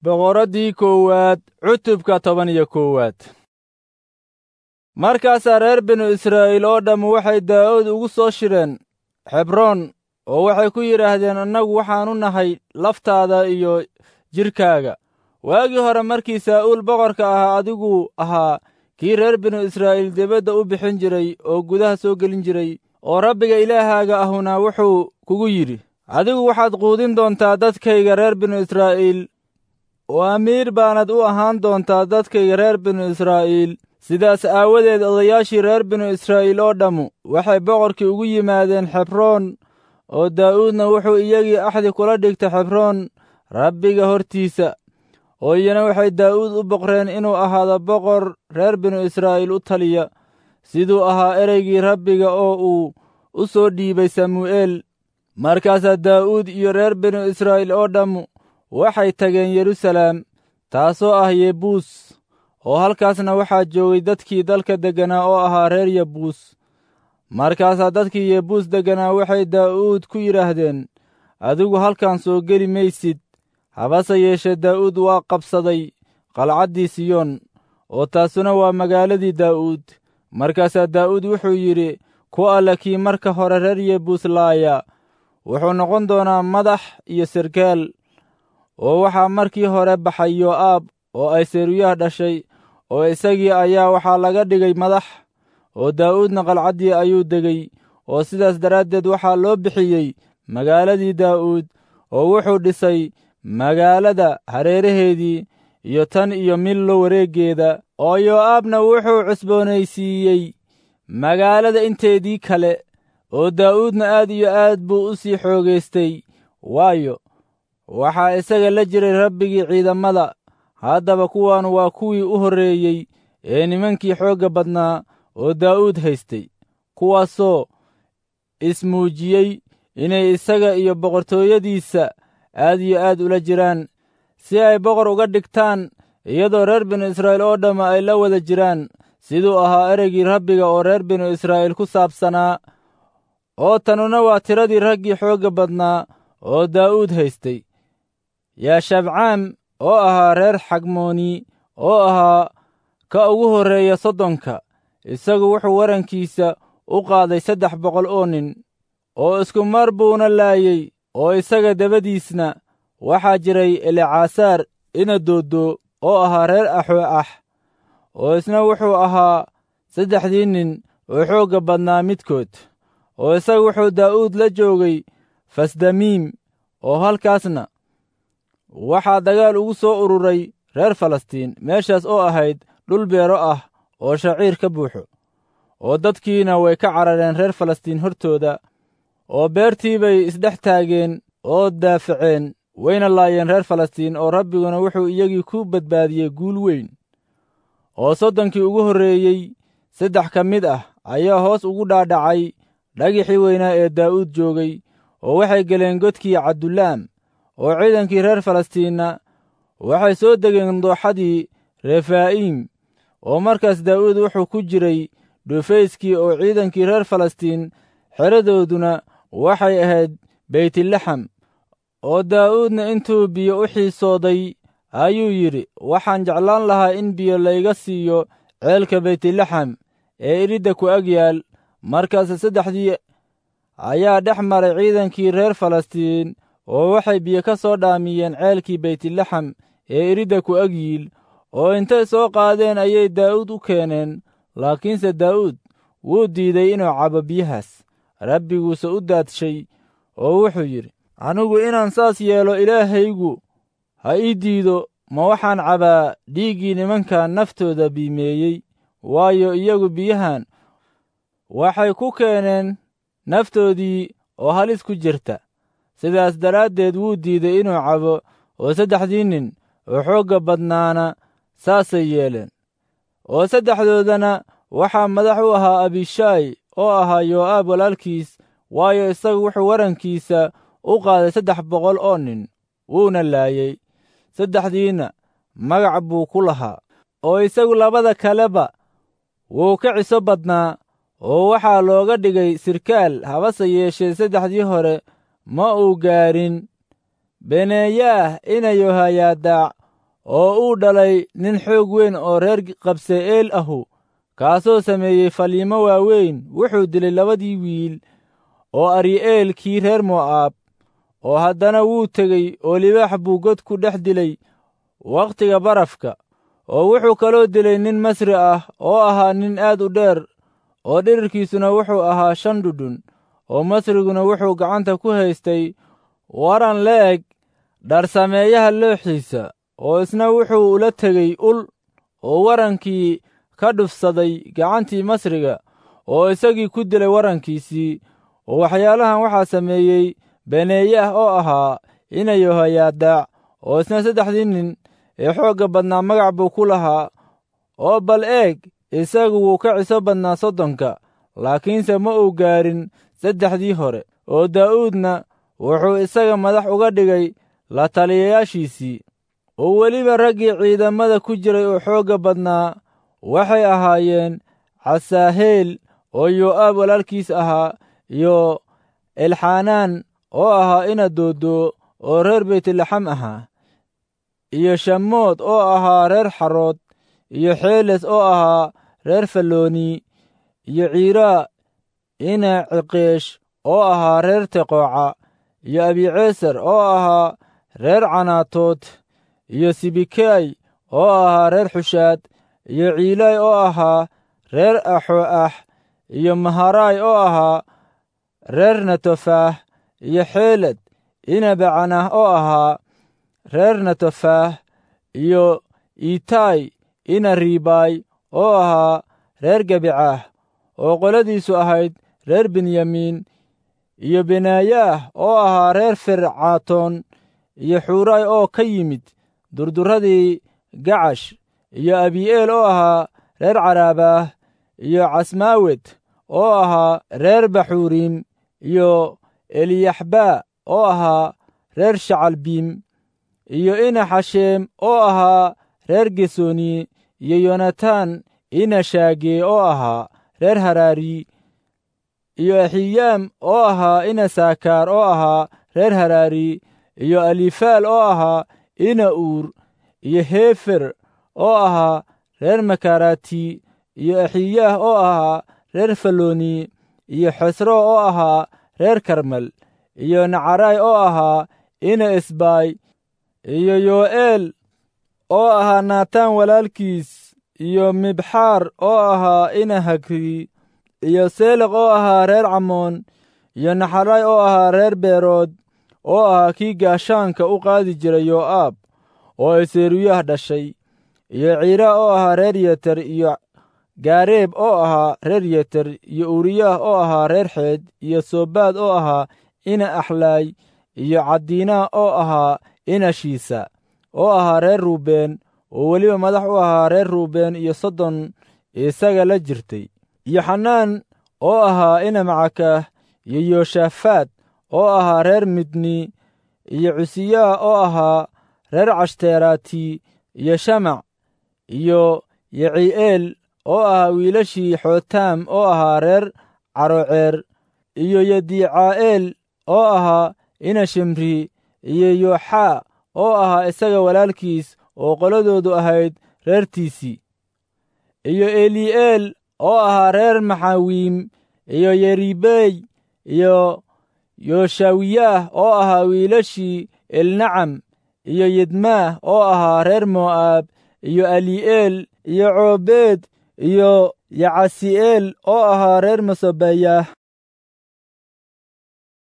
Boqoraddii koowaad cutubka 11aad. Markaasaa reer binu Israa'iil oo dhammu waxay Daa'uud ugu soo shireen Xebroon oo waxay ku yidhaahdeen, annagu waxaannu nahay laftaada iyo jidhkaaga. Waagii hore markii Saa'uul boqorka ahaa, adiguu ahaa kii reer binu Israa'iil dibadda u bixin jiray oo gudaha soo gelin jiray, oo Rabbiga Ilaahaaga ahuna wuxuu kugu yidhi, adigu waxaad quudin doontaa dadkayga reer binu Israa'iil, oo amiir baanad u ahaan doontaa dadkayga reer binu Israa'iil. Sidaas aawadeed odayaashii reer binu Israa'iil oo dhammu waxay boqorkii ugu yimaadeen Xebroon, oo Daa'uudna wuxuu iyagii axdi kula dhigtay Xebroon Rabbiga hortiisa. Oo iyana waxay Daa'uud u boqreen inuu ahaado boqor reer binu Israa'iil u taliya, siduu ahaa ereygii Rabbiga oo uu u soo dhiibay Samu'eel. Markaasaa Daa'uud iyo reer binu Israa'iil oo dhammu waxay tageen Yeruusaalem, taasoo ah Yebuus, oo halkaasna waxaa joogay dadkii dalka degganaa oo ahaa reer Yebuus. Markaasaa dadkii Yebuus degganaa waxay Daa'uud ku yidhaahdeen, adigu halkan soo geli maysid. Habase yeeshee Daa'uud waa qabsaday qalcaddii Siyoon, oo taasuna waa magaaladii Daa'uud. Markaasaa Daa'uud wuxuu yidhi, ku alle kii marka hore reer Yebuus laaya wuxuu noqon doonaa madax iyo sarkaal. Oo waxaa markii hore baxay Yoo'aab oo ay Seruyaah dhashay, oo isagii ayaa waxaa laga dhigay madax. Oo Daa'uudna qalcaddii ayuu degay, oo sidaas daraaddeed waxaa loo bixiyey magaaladii Daa'uud, oo wuxuu dhisay magaalada hareeraheedii iyo tan iyo Millo wareeggeeda. Oo Yoo'aabna wuxuu cusboonaysiiyey magaalada inteedii kale, oo Daa'uudna aad iyo aad buu u sii xoogaystay, waayo, waxaa isaga la jiray Rabbigii ciidamada. Haddaba kuwan waa kuwii u horreeyey ee nimankii xoogga badnaa oo Daa'uud haystay, kuwaasoo ismuujiyey inay isaga iyo boqortooyadiisa aad iyo aad ula jiraan, si ay boqor uga dhigtaan, iyadoo reer binu Israa'iil oo dhamma ay la wada jiraan, siduu ahaa ereygii Rabbiga oo reer binu Israa'iil ku saabsanaa. Oo tanuna waa tiradii raggii xoogga badnaa oo Daa'uud haystay. Yaashabcaam oo ahaa reer Xagmooni, oo ahaa ka ugu horreeya 30-ka, isagu wuxuu warankiisa u qaaday 300 oo nin, oo isku mar buuna laayey. Oo isaga dabadiisna waxaa jiray Elecasaar ina Dodo oo ahaa reer Axoo ah, oo isna wuxuu ahaa saddexdii nin oo xoogga badnaa midkood. Oo isagu wuxuu Daa'uud la joogay Fasdamiim, oo halkaasna waxaa dagaal ugu soo ururay reer Falastiin, meeshaas oo ahayd dhul beero ah oo shaciir ka buuxo. Oo dadkiina way ka carareen reer Falastiin hortooda, oo beertii bay isdhex taageen oo daafaceen, wayna laayeen reer Falastiin, oo Rabbiguna wuxuu iyagii ku badbaadiyey guul weyn. Oo 30-kii ugu horreeyey saddex ka mid ah ayaa hoos ugu dhaadhacay dhagixii weynaa ee Daa'uud joogay, oo waxay geleen godkii Cabdulaam. Oo ciidankii reer Falastiinna waxay soo degeen dooxadii Refaa'iim. Oo markaas Daa'uud wuxuu ku jiray dhufayskii, oo ciidankii reer Falastiin xeradooduna waxay ahayd Beytlaxam. Oo Daa'uudna intuu biyo u xiisooday ayuu yidhi, waxaan jeclaan lahaa in biyo layga siiyo ceelka Beytlaxam ee iridda ku ag yaal. Markaase saddexdii ayaa dhex maray ciidankii reer Falastiin, oo waxay biyo ka soo dhaamiyeen ceelkii Beytlaxam ee iridda ku ag yiil, oo intay soo qaadeen ayay Daa'uud u keeneen. Laakiinse Daa'uud wuu diiday inuu cabo biyahaas. Rabbiguuse u daadshay oo wuxuu yidhi, anigu inaan saas yeelo Ilaahaygu ha ii diido. Ma waxaan cabaa dhiiggii nimankan naftooda biimeeyey? Waayo, iyagu biyahan waxay ku keeneen naftoodii oo halis ku jirta. Sidaas daraaddeed wuu diiday inuu cabo, oo saddexdii nin oo xoogga badnaana saasay yeeleen. Oo saddexdoodana waxaa madax u ahaa Abishaay oo ahaa Yoo'aab walaalkiis, waayo, isagu wuxuu warankiisa u qaaday 300 oo nin, wuuna laayey. Saddexdiinna magac buu ku lahaa, oo isagu labada kaleba wuu ka ciso badnaa, oo waxaa looga dhigay sirkaal. Habase yeeshee saddexdii hore ma uu gaarin. Beneeyaah ina Yohayaadaac oo uu dhalay nin xoog weyn oo reer Qabse'eel ahu, kaasoo sameeyey faliimo waaweyn. Wuxuu dilay labadii wiil oo Ari'eel kii reer Mo'aab, oo haddana wuu tegey oo libaax buu god ku dhex dilay wakhtiga barafka. Oo wuxuu kaloo dilay nin Masri ah oo ahaa nin aad u dheer, oo dhirirkiisuna wuxuu ahaa 5 dhudhun, oo Masriguna wuxuu gacanta ku haystay waran le'eg dharsameeyaha looxiisa, oo isna wuxuu ula tegey ul, oo warankii ka dhufsaday gacantii Masriga, oo isagii ku dilay warankiisii. Oo waxyaalahan waxaa sameeyey Beneeyaah oo ahaa ina Yehoyaadaac, oo isna 3dii nin ee xoogga badnaa magac buu ku lahaa. Oo bal eeg, isagu wuu ka ciso badnaa 30ka, laakiinse ma uu gaarin 3dii hore. Oo Daa'uudna wuxuu isaga madax uga dhigay la taliyayaashiisii. Oo weliba raggii ciidamada ku jiray oo xoogga badnaa waxay ahaayeen Casaaheel oo Yoo'aab walaalkiis ahaa, iyo Elxanaan oo ahaa ina Dodo oo reer Beytlaxam ahaa, iyo Shamood oo ahaa reer Xarood, iyo Xeeles oo ahaa reer Fallooni, iyo Ciiraa ina Ciqeesh oo ahaa reer Teqooca, iyo Abiceesar oo ahaa reer Canaatood, iyo Sibikay oo ahaa reer Xushaad, iyo Ciilay oo ahaa reer Axo'ax, iyo Maharaay oo ahaa reer Natofaah, iyo Xeeled ina Bacanah oo ahaa reer Natofaah, iyo Iitaay ina Ribaay oo ahaa reer Gabicaah, oo qoladiisu ahayd reer Benyamiin, iyo Benaayaah oo ahaa reer Fircaatoon, iyo Xuuraay oo ka yimid durduradii Gacash, iyo Abii'eel oo ahaa reer Caraabaah, iyo Casmaawed oo ahaa reer Baxuuriim, iyo Eliyaxbaa oo ahaa reer Shacalbiim, iyo ina Xasheem oo ahaa reer Gesoni, iyo Yonatan ina Shaagee oo ahaa reer Haraari, iyo Axiyaam oo ahaa ina Saakaar oo ahaa reer Haraari, iyo Alifaal oo ahaa ina Uur, iyo Hefer oo ahaa reer Makarati, iyo Axiyaah oo ahaa reer Fallooni, iyo Xesro oo ahaa reer Karmel, iyo Nacaraay oo ahaa ina Esbaay, iyo Yo'eel oo ahaa Naataan walaalkiis, iyo Mibxaar oo ahaa ina Hagri, iyo Seleq oo ahaa reer Camoon, iyo Naxaraay oo ahaa reer Beerood, oo ahaa kii gaashaanka u qaadi jiray Yoo'aab oo ay Seruyaah dhashay, iyo Ciiraa oo ahaa reer Yeter, iyo Gaareeb oo ahaa reer Yeter, iyo Uuriyaah oo ahaa reer Xeed, iyo Sobaad oo ahaa ina Axlaay, iyo Cadiinaa oo ahaa ina Shiisa oo ahaa reer Ruubeen, oo weliba madax u ahaa reer Ruubeen iyo 30 isaga la jirtay, iyo Xanaan oo ahaa ina Macakaah, iyo Yooshafaad oo ahaa reer Midni, iyo Cusiyaah oo ahaa reer Cashteraati, iyo Shamac iyo Yeci'eel oo ahaa wiilashii Xootaam oo ahaa reer Caroceer, iyo Yedicaa'eel oo ahaa ina Shimri, iyo Yooxaa oo ahaa isaga walaalkiis oo qoladoodu ahayd reertiisii, iyo Eli'eel oo ahaa reer Maxawiim, iyo Yeribey, iyo Yooshawiyaah oo ahaa wiilashii Elnacam, iyo Yidmaah oo ahaa reer Mo'aab, iyo Ali'eel, iyo Coobeed, iyo Yacasi'eel oo ahaa reer Masobeyaah.